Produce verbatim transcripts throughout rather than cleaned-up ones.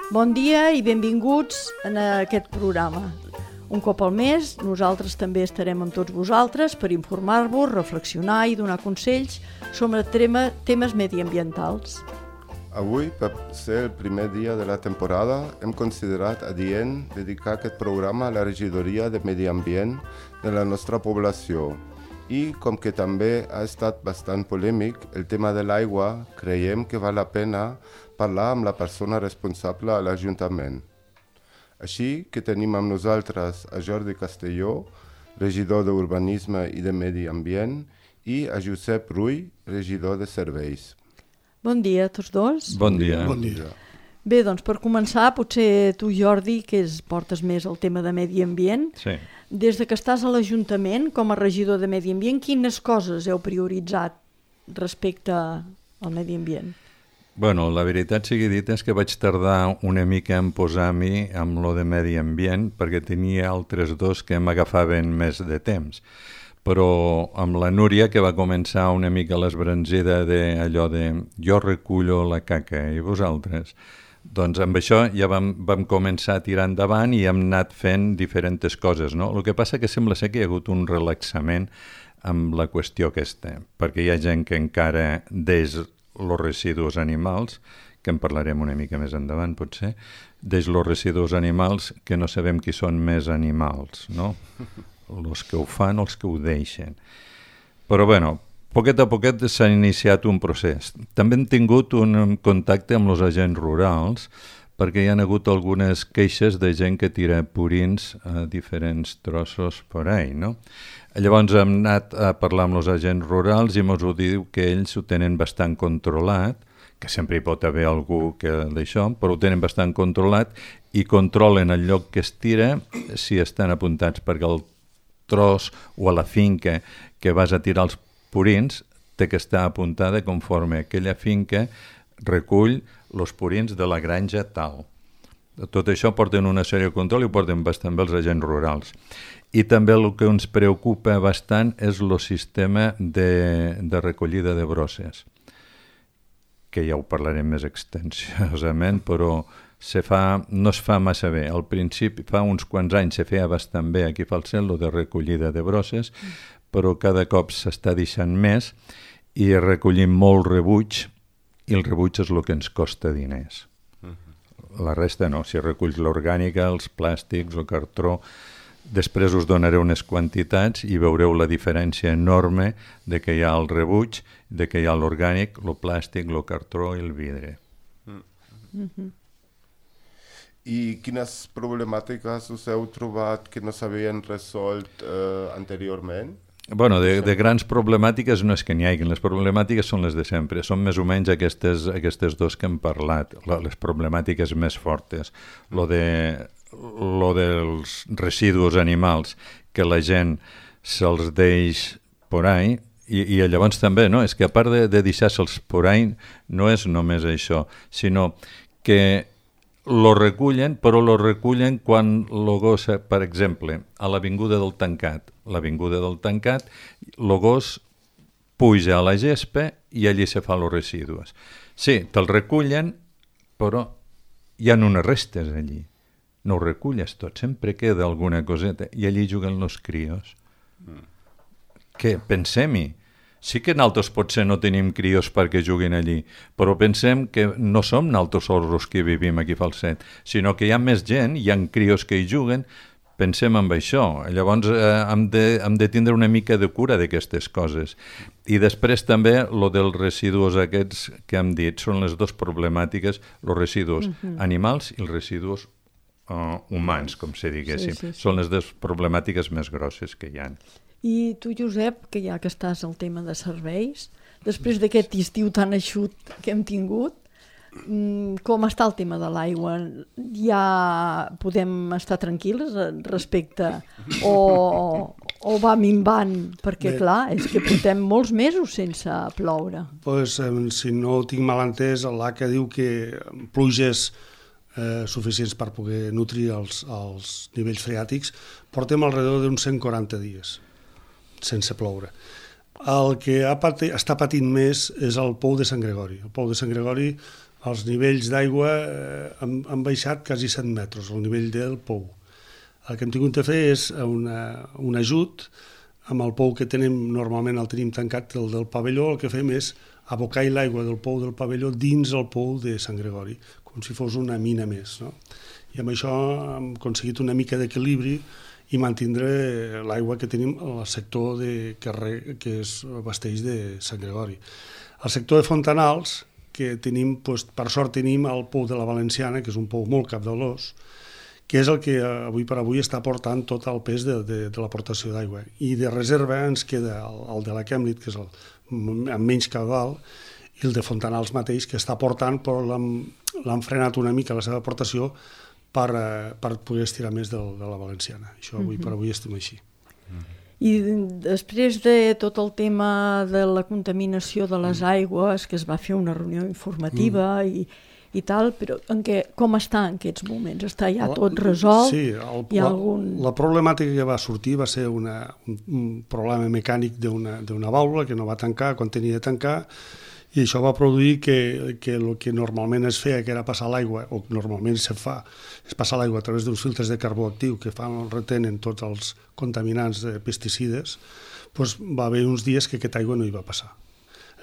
Bon dia i benvinguts a aquest programa. Un cop al mes, nosaltres també estarem amb tots vosaltres per informar-vos, reflexionar i donar consells sobre tema, temes mediambientals. Avui, per ser el primer dia de la temporada, hem considerat adient dedicar aquest programa a la regidoria de Medi Ambient de la nostra població. I, com que també ha estat bastant polèmic, el tema de l'aigua, creiem que val la pena parlar amb la persona responsable a l'Ajuntament. Així que tenim amb nosaltres a Jordi Castelló, regidor d'Urbanisme i de Medi Ambient, i a Josep Rull, regidor de Serveis. Bon dia a tots dos. Bon dia. Bon dia. Bé, doncs per començar, potser tu, Jordi, que és, portes més el tema de Medi Ambient, Sí. des de que estàs a l'Ajuntament com a regidor de Medi Ambient, quines coses heu prioritzat respecte al Medi Ambient? Bueno, la veritat sigui dit és que vaig tardar una mica en posar-m'hi amb lo de Medi Ambient perquè tenia altres dos que m'agafaven més de temps. Però amb la Núria, que va començar una mica l'esbranzida d'allò de jo recullo la caca i vosaltres, doncs amb això ja vam, vam començar a tirar endavant i hem anat fent diferents coses, no? El que passa que sembla ser que hi ha hagut un relaxament amb la qüestió aquesta, perquè hi ha gent que encara deix els residus animals, que en parlarem una mica més endavant potser, deix els residus animals que no sabem qui són més animals, no? Els que ho fan o els que ho deixen. Però bueno, poquet a poquet s'ha iniciat un procés. També hem tingut un contacte amb els agents rurals perquè hi ha hagut algunes queixes de gent que tira purins a diferents trossos per ahí, no? Llavors hem anat a parlar amb els agents rurals i ens ho diu que ells ho tenen bastant controlat, que sempre hi pot haver algú que d'això, però ho tenen bastant controlat i controlen el lloc que es tira si estan apuntats, perquè el tros o a la finca que vas a tirar els purins té que estar apuntada conforme aquella finca recull els purins de la granja tal. Tot això porten una sèrie de control i ho porten bastant bé els agents rurals. I també el que ens preocupa bastant és el sistema de, de recollida de brosses, que ja ho parlarem més extensivament, però se fa, no es fa massa bé. Al principi, fa uns quants anys, se feia bastant bé aquí a Falset, lo de recollida de brosses, però cada cop s'està deixant més i recollim molt rebuig, i el rebuig és el que ens costa diners. La resta no, si reculls l'orgànica, els plàstics, el cartró, després us donaré unes quantitats i veureu la diferència enorme de que hi ha el rebuig, de que hi ha l'orgànic, el plàstic, el cartró i el vidre. Mm-hmm. I quines problemàtiques us heu trobat que no s'havien resolt eh, anteriorment? Bueno, de, de grans problemàtiques no és que n'hi hagi, les problemàtiques són les de sempre, són més o menys aquestes, aquestes dos que hem parlat, les problemàtiques més fortes, lo, de, lo dels residus animals, que la gent se'ls deix por ahí, i, i llavors també, no? És que a part de, de deixar-se'ls por ahí, no és només això, sinó que lo recullen, però lo recullen quan lo gos, per exemple, a l'avinguda del Tancat. L'avinguda del Tancat, lo gos puja a la gespa i allí se fa los residus. Sí, te'l recullen, però hi ha unes restes allí. No ho reculles tot, sempre queda alguna coseta i allí juguen los crios. Mm. Què? Pensem-hi. Sí que nosaltres potser no tenim crios perquè juguin allí, però pensem que no som nosaltres sols que vivim aquí a Falset, sinó que hi ha més gent, hi ha crios que hi juguen, pensem en això. Llavors eh, hem, de, hem de tindre una mica de cura d'aquestes coses. I després també lo dels residus aquests que hem dit, són les dues problemàtiques, els residus uh-huh. animals i els residus uh, humans, com se diguéssim. Sí, sí, sí. Són les dues problemàtiques més grosses que hi ha. I tu, Josep, que ja que estàs al tema de serveis, després d'aquest estiu tan eixut que hem tingut, com està el tema de l'aigua? Ja podem estar tranquils respecte o, o va minvant? Perquè, bé, clar, és que portem molts mesos sense ploure. Pues, eh, si no ho tinc mal entès, l'A C A diu que pluges eh, suficients per poder nutrir els, els nivells freàtics, portem alrededor d'uns cent quaranta dies sense ploure. El que ha pati, està patint més és el pou de Sant Gregori. El pou de Sant Gregori els nivells d'aigua eh, han, han baixat quasi set metres, el nivell del pou. El que hem tingut de fer és una, un ajut amb el pou que tenim, normalment el tenim tancat del, del pavelló, el que fem és abocar l'aigua del pou del pavelló dins el pou de Sant Gregori, com si fos una mina més, no? I amb això hem aconseguit una mica d'equilibri i mantindre l'aigua que tenim al sector de carrer que es abasteix de Sant Gregori. Al sector de Fontanals, que tenim, doncs, per sort tenim el pou de la Valenciana, que és un pou molt capdalós, que és el que avui per avui està portant tot el pes de, de, de l'aportació d'aigua. I de reserva ens queda el, el de la Kemnit, que és el amb menys caudal, i el de Fontanals mateix, que està portant, però l'han frenat una mica la seva aportació per, per poder estirar més de, de la Valenciana. Això avui uh-huh. per avui estem així. Uh-huh. I després de tot el tema de la contaminació de les aigües, que es va fer una reunió informativa mm. i, i tal, però en què, com està en aquests moments? Està ja tot resolt? Sí, el, Hi ha la, algun... la problemàtica que va sortir va ser una, un, un problema mecànic d'una vàlvula que no va tancar quan tenia de tancar, i això va produir que, que el que normalment es feia, que era passar l'aigua, o normalment se fa, és passar l'aigua a través d'uns filtres de carbó actiu que fan, retenen tots els contaminants de pesticides, doncs va haver uns dies que aquesta aigua no hi va passar.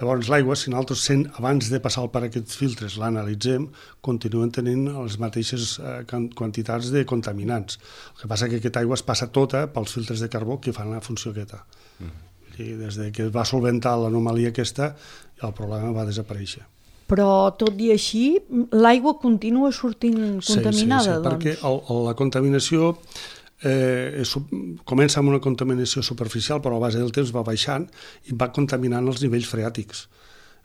Llavors l'aigua, si nosaltres sent, abans de passar per aquests filtres l'analitzem, continuen tenint les mateixes eh, quantitats de contaminants. El que passa és que aquesta aigua es passa tota pels filtres de carbó que fan la funció aquesta. Mm. I des de que es va solventar l'anomalia aquesta, el problema va desaparèixer. Però tot i així, l'aigua continua sortint contaminada, sí, sí, sí, doncs? Perquè el, la contaminació eh, és, comença amb una contaminació superficial, però a base del temps va baixant i va contaminant els nivells freàtics.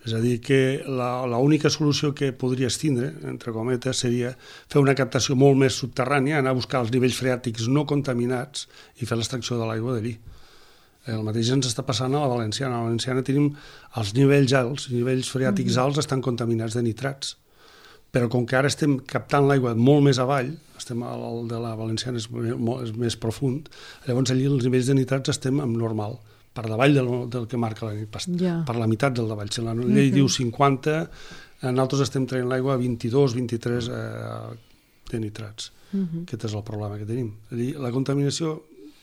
És a dir, que l'única solució que podries tindre, entre cometes, seria fer una captació molt més subterrània, anar a buscar els nivells freàtics no contaminats i fer l'extracció de l'aigua d'allí. El mateix ens està passant a la Valenciana. A la Valenciana tenim els nivells alts, els nivells freàtics alts estan contaminats de nitrats. Però com que ara estem captant l'aigua molt més avall, estem el de la Valenciana és, és més profund, llavors allí els nivells de nitrats estem en normal, per davall del, del que marca la llei, yeah. per la meitat del davall. Si la llei uh-huh. diu cinquanta, nosaltres estem traient l'aigua a vint-i-dos, vint-i-tres eh, de nitrats. Uh-huh. Aquest és el problema que tenim. Allí, la contaminació,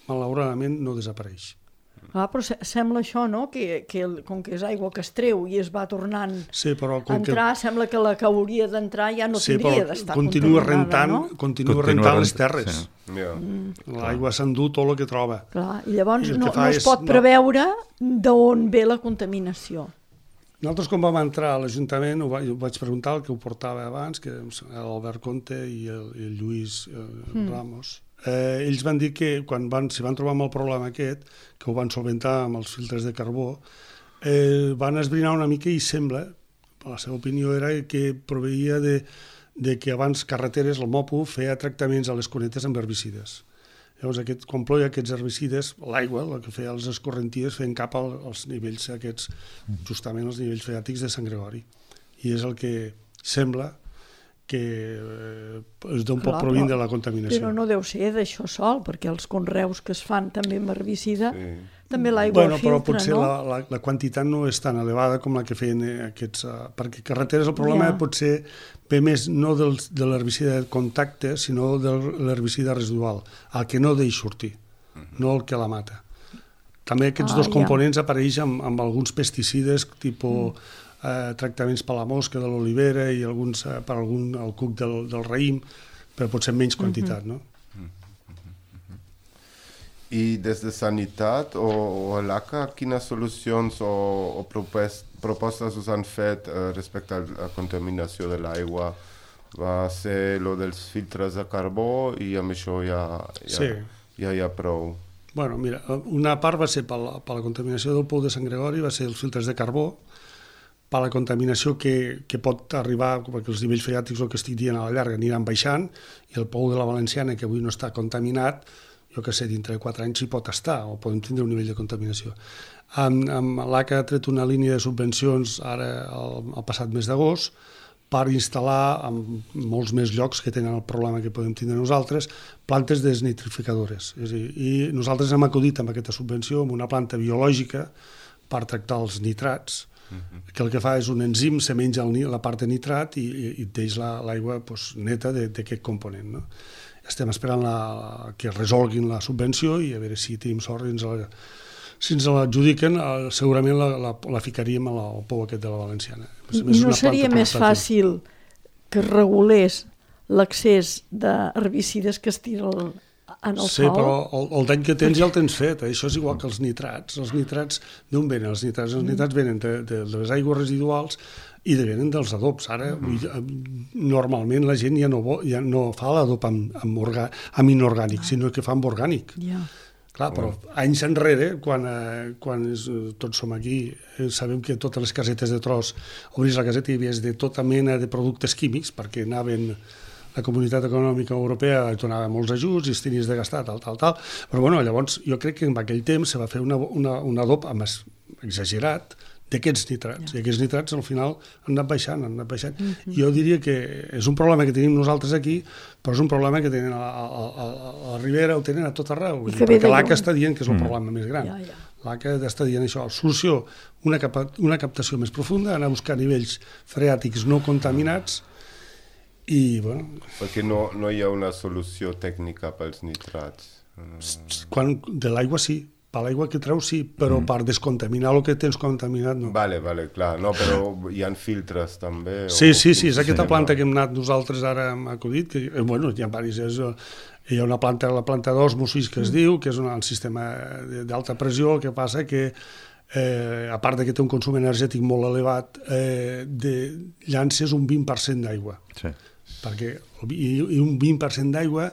malauradament, no desapareix. Ah, però sembla això, no?, que, que com que és aigua que es treu i es va tornant sí, però a entrar, que... sembla que la que hauria d'entrar ja no sí, tindria d'estar continua contaminada, rentant, no? Continua, continua rentant les terres. Sí. Yeah. Mm. L'aigua s'endú tot el que troba. Clar, i llavors I no, no es és, pot preveure no... d'on ve la contaminació. Nosaltres, quan vam entrar a l'Ajuntament, ho, ho vaig preguntar al que ho portava abans, que l'Albert Conte i el, i el Lluís eh, mm. Ramos. Eh, ells van dir que quan van, si van trobar amb el problema aquest, que ho van solventar amb els filtres de carbó, eh, van esbrinar una mica i sembla, la seva opinió era que proveïa de, de que abans carreteres, el MOPU, feia tractaments a les cunetes amb herbicides. Llavors, aquest, quan ploia aquests herbicides, l'aigua, el que feia les escorrenties, feien cap als nivells aquests, justament els nivells freàtics de Sant Gregori. I és el que sembla que és d'on pot provint de la contaminació. Però no deu ser d'això sol, perquè els conreus que es fan també amb herbicida, sí. també l'aigua bueno, filtra, però potser no? La, la, la quantitat no és tan elevada com la que feien aquests... Uh, perquè carreteres el problema yeah. potser ve més no del, de l'herbicida de contacte, sinó de l'herbicida residual, el que no deix sortir, uh-huh. no el que la mata. També aquests ah, dos components yeah. apareixen amb, amb alguns pesticides, tipus... Mm. Eh, tractaments per la mosca de l'olivera i alguns eh, per algun, el cuc del, del raïm, però potser en menys quantitat, no? I des de Sanitat o, o l'A C A, quines solucions o, o propos, propostes us han fet eh, respecte a la contaminació de l'aigua? Va ser lo dels filtres de carbó i amb això ja, ja, sí. ja hi ha prou. Bueno, mira, una part va ser per la, per la contaminació del pou de Sant Gregori, va ser els filtres de carbó, per la contaminació que, que pot arribar, perquè els nivells freàtics, el que estic dient a la llarga, aniran baixant, i el pou de la Valenciana, que avui no està contaminat, jo que sé, dintre de quatre anys hi pot estar, o podem tindre un nivell de contaminació. Amb, amb l'A C A ha tret una línia de subvencions ara el, el passat mes d'agost per instal·lar en molts més llocs que tenen el problema que podem tindre nosaltres, plantes desnitrificadores. És a dir, i nosaltres hem acudit amb aquesta subvenció amb una planta biològica per tractar els nitrats, uh-huh. que el que fa és un enzim, se menja el, la part de nitrat i, i, i deixa l'aigua pues, neta d'aquest component. No? Estem esperant la, la, que resolguin la subvenció i a veure si tenim sort i ens la, si ens l'adjudiquen, segurament la, la, la ficaríem al pou aquest de la Valenciana. I no seria més fàcil que regulés l'accés d'herbicides que es tira el, en el sí, sol? Sí, però el, el dany que tens ja el tens fet. Això és igual que els nitrats. Els nitrats, d'on venen els nitrats? Els nitrats venen de, de, de les aigües residuals i venen dels adobs. Ara, mm. normalment la gent ja no, ja no fa l'adob amb, amb, orga, amb inorgànic, ah. sinó que fa amb orgànic. Ja. Clar, però anys enrere, quan, eh, quan és, tots som aquí, eh, sabem que totes les casetes de tros, obris la caseta i hi havia de tota mena de productes químics, perquè anaven, la Comunitat Econòmica Europea donava molts ajuts i es tenies de gastar, tal, tal, tal. Però bueno, llavors jo crec que en aquell temps se va fer una, una, un adob més exagerat d'aquests nitrats. Ja. I aquests nitrats al final han anat baixant, han anat baixant. Mm-hmm. Jo diria que és un problema que tenim nosaltres aquí, però és un problema que tenen a, a, a, a la Ribera, ho tenen a tot arreu. Dir, perquè l'A C A està dient que és el mm. problema més gran. Ja, ja. L'A C A està dient això. Solució, una, cap una captació més profunda, anar a buscar nivells freàtics no contaminats i, bueno... Perquè no, no hi ha una solució tècnica pels nitrats. Quan, de l'aigua sí. Per l'aigua que treus sí, però mm. per descontaminar el que tens contaminat no. Vale, vale, clar, no, però hi ha filtres també. Sí, sí, sí, és aquesta sí, planta no. que hem anat nosaltres ara hem acudit, que, eh, bueno, hi ha diverses, hi ha una planta, la planta d'osmosis que es mm. diu, que és un, un sistema d'alta pressió, el que passa que eh, a part de que té un consum energètic molt elevat, eh, de, llances un vint per cent d'aigua. Sí. Perquè, i, i un vint per cent d'aigua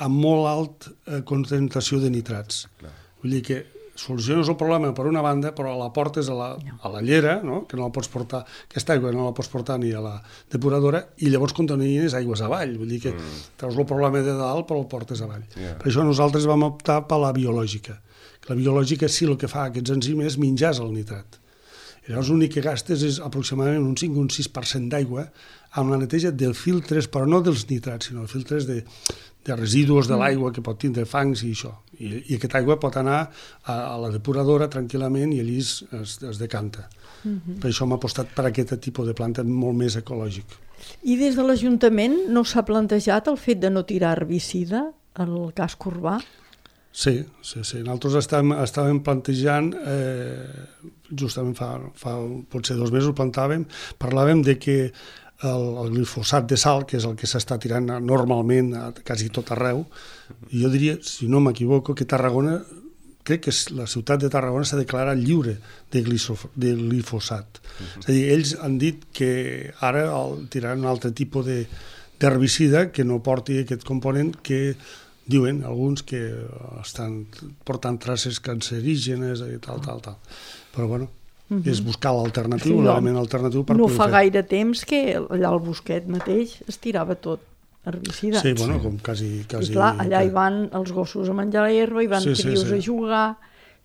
amb molt alt eh, concentració de nitrats. Clar. Vull dir que soluciones el problema per una banda, però la portes a la, a la llera, no? Que no la pots portar, aquesta aigua no la pots portar ni a la depuradora, i llavors contamines aigües avall. Vull dir que mm. treus el problema de dalt però el portes avall. Yeah. Per això nosaltres vam optar per la biològica. La biològica sí el que fa aquests enzims és menjar el nitrat. I llavors l'únic que gastes és aproximadament un cinc o un sis per cent d'aigua amb la neteja dels filtres, però no dels nitrats, sinó els filtres de, de residus de l'aigua que pot tindre fangs i això. I, i aquesta aigua pot anar a, a la depuradora tranquil·lament i allí es, es, es decanta. Uh-huh. Per això hem apostat per aquest tipus de planta molt més ecològic. I des de l'Ajuntament no s'ha plantejat el fet de no tirar herbicida al casc urbà? Sí, sí, sí. Nosaltres estàvem, estàvem plantejant, eh, justament fa, fa potser dos mesos plantàvem, parlàvem de que el, el glifosat de sal, que és el que s'està tirant normalment a quasi tot arreu, i jo diria, si no m'equivoco, que Tarragona, crec que la ciutat de Tarragona s'ha declarat lliure de, glisof, de glifosat. Uh-huh. És a dir, ells han dit que ara el, tiraran un altre tipus d'herbicida que no porti aquest component que diuen alguns que estan portant traces cancerígenes i tal, tal, tal. Però bueno, uh-huh. és buscar l'alternatiu, sí, l'element alternatiu per no poder fa fer. gaire temps que allà al Bosquet mateix es tirava tot herbicidat. Sí, bueno, com quasi... quasi I clar, allà hi van els gossos a menjar l'herba, hi van sí, crios sí, sí. a jugar,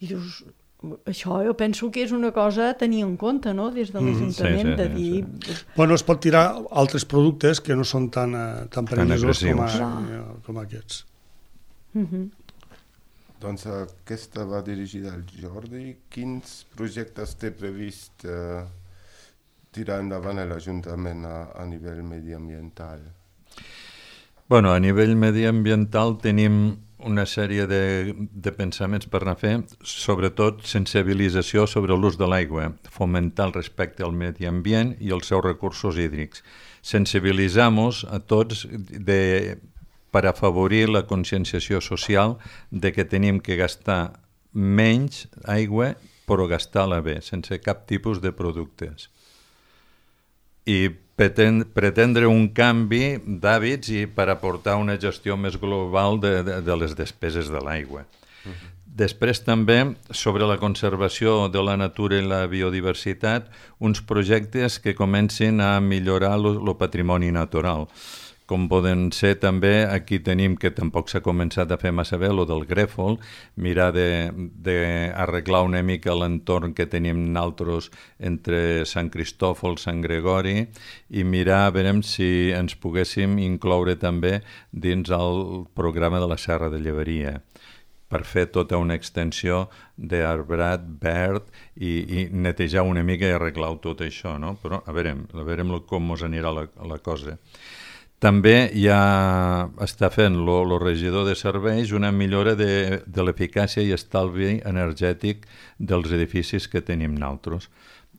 i dius, això jo penso que és una cosa a tenir en compte, no?, des de l'Ajuntament, mm, sí, sí, de dir... Sí, sí. Bueno, es pot tirar altres productes que no són tan, tan perillosos com, a, com aquests. Uh-huh. Doncs aquesta va dirigida al Jordi. Quins projectes té previst eh, tirar endavant a l'Ajuntament a, a nivell mediambiental? Bueno, a nivell mediambiental tenim una sèrie de, de pensaments per anar a fer, sobretot sensibilització sobre l'ús de l'aigua, fomentar el respecte al medi ambient i els seus recursos hídrics. Sensibilitzar-nos a tots de... per afavorir la conscienciació social de que tenim que gastar menys aigua però gastar-la bé, sense cap tipus de productes. I pretendre un canvi d'hàbits i per aportar una gestió més global de, de, de les despeses de l'aigua. Uh-huh. Després també, sobre la conservació de la natura i la biodiversitat, uns projectes que comencin a millorar el patrimoni natural. Com poden ser també, aquí tenim que tampoc s'ha començat a fer massa bé, el del grèfol, mirar d'arreglar una mica l'entorn que tenim nosaltres entre Sant Cristòfol, Sant Gregori, i mirar a veure si ens poguéssim incloure també dins el programa de la Serra de Llevaria, per fer tota una extensió d'arbrat verd i, i netejar una mica i arreglar tot això, no? Però a veure, a veure com us anirà la, la cosa. També ja està fent el regidor de serveis una millora de, de l'eficàcia i estalvi energètic dels edificis que tenim nosaltres.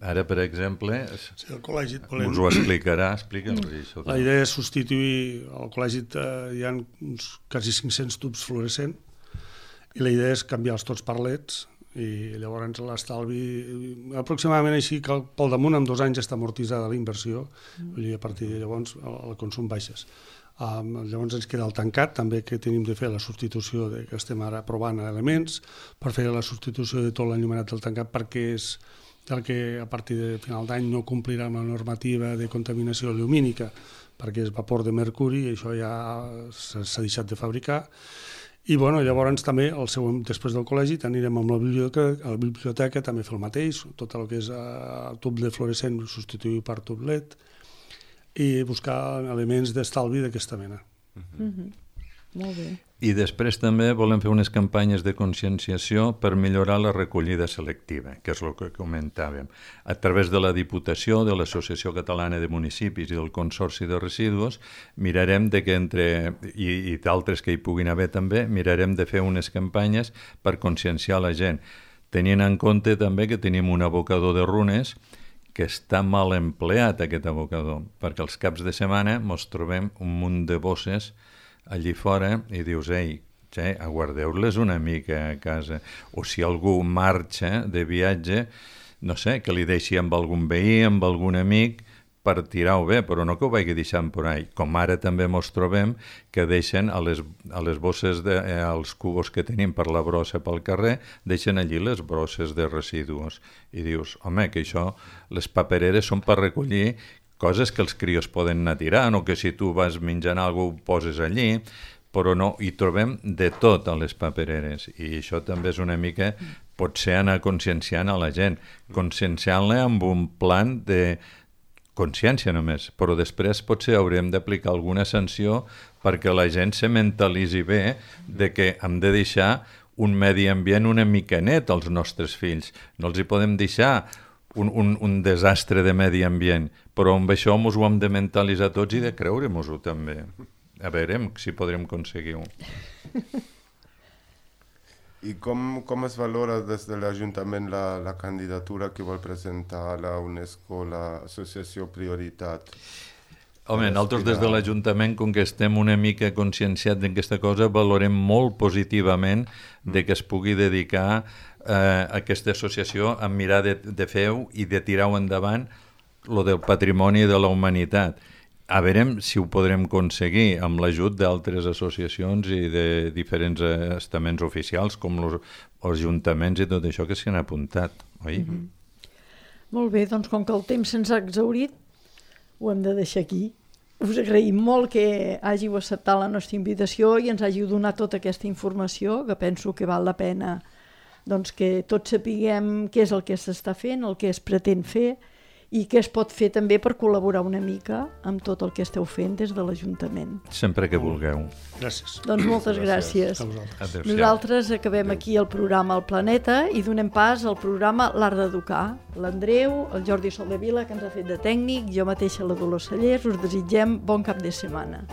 Ara, per exemple, sí, el col·legi volem... us ho explicarà, explica'ns això. La idea és substituir, al col·legi eh, hi ha uns quasi cinc-cents tubs fluorescents i la idea és canviar-los tots per leds i llavors l'estalvi, aproximadament així que pel damunt en dos anys està amortitzada la inversió, vull dir, a partir de llavors el, el consum baixes. Um, llavors ens queda el tancat, també que tenim de fer la substitució, de, que estem ara provant elements, per fer la substitució de tot l'enllumenat del tancat perquè és el que a partir de final d'any no complirà amb la normativa de contaminació lumínica perquè és vapor de mercuri i això ja s'ha deixat de fabricar. I bueno, llavors també, el següent, després del col·legi, anirem amb la biblioteca, a la biblioteca també fer el mateix, tot el que és uh, tub de fluorescent substituir per tub L E D i buscar elements d'estalvi d'aquesta mena. Mm-hmm. Mm-hmm. Molt bé. I després també volem fer unes campanyes de conscienciació per millorar la recollida selectiva, que és el que comentàvem. A través de la Diputació, de l'Associació Catalana de Municipis i del Consorci de Residus, mirarem de que entre, i, i d'altres que hi puguin haver també, mirarem de fer unes campanyes per conscienciar la gent, tenint en compte també que tenim un abocador de runes que està mal empleat, aquest abocador, perquè els caps de setmana ens trobem un munt de bosses allí fora i dius, ei, ja, aguardeu-les una mica a casa. O si algú marxa de viatge, no sé, que li deixi amb algun veí, amb algun amic, per tirar-ho bé, però no que ho vagi deixant per ahí. Com ara també ens trobem que deixen a les, a les bosses, de, eh, als cubos que tenim per la brossa pel carrer, deixen allí les brosses de residus. I dius, home, que això, les papereres són per recollir coses que els crios poden anar tirant o que si tu vas menjant alguna cosa ho poses allí, però no, hi trobem de tot a les papereres i això també és una mica, potser anar conscienciant a la gent, conscienciant-la amb un plan de consciència només, però després potser haurem d'aplicar alguna sanció perquè la gent se mentalitzi bé de que hem de deixar un medi ambient una mica net als nostres fills, no els hi podem deixar Un, un, un desastre de medi ambient, però amb això ens ho hem de mentalitzar tots i de creure-nos-ho també. A veure si podrem aconseguir-ho. I com, com es valora des de l'Ajuntament la, la candidatura que vol presentar a la UNESCO, l'Associació Prioritat? Home, nosaltres des de l'Ajuntament, com que estem una mica conscienciats d'aquesta cosa, valorem molt positivament de que es pugui dedicar eh, aquesta associació a mirar de, de fer-ho i de tirar-ho endavant lo del patrimoni de la humanitat. A veure si ho podrem aconseguir amb l'ajut d'altres associacions i de diferents estaments oficials com els ajuntaments i tot això que s'hi han apuntat, oi? Mm-hmm. Molt bé, doncs com que el temps se'ns ha exhaurit, ho hem de deixar aquí. Us agraïm molt que hàgiu acceptat la nostra invitació i ens hàgiu donat tota aquesta informació, que penso que val la pena doncs, que tots sapiguem què és el que s'està fent, el que es pretén fer i què es pot fer també per col·laborar una mica amb tot el que esteu fent des de l'Ajuntament. Sempre que vulgueu. Gràcies. Doncs moltes gràcies. gràcies. Nosaltres acabem aquí el programa El Planeta i donem pas al programa L'Art d'Educar. L'Andreu, el Jordi Soldevila, que ens ha fet de tècnic, jo mateixa la Dolors Cellers, us desitgem bon cap de setmana.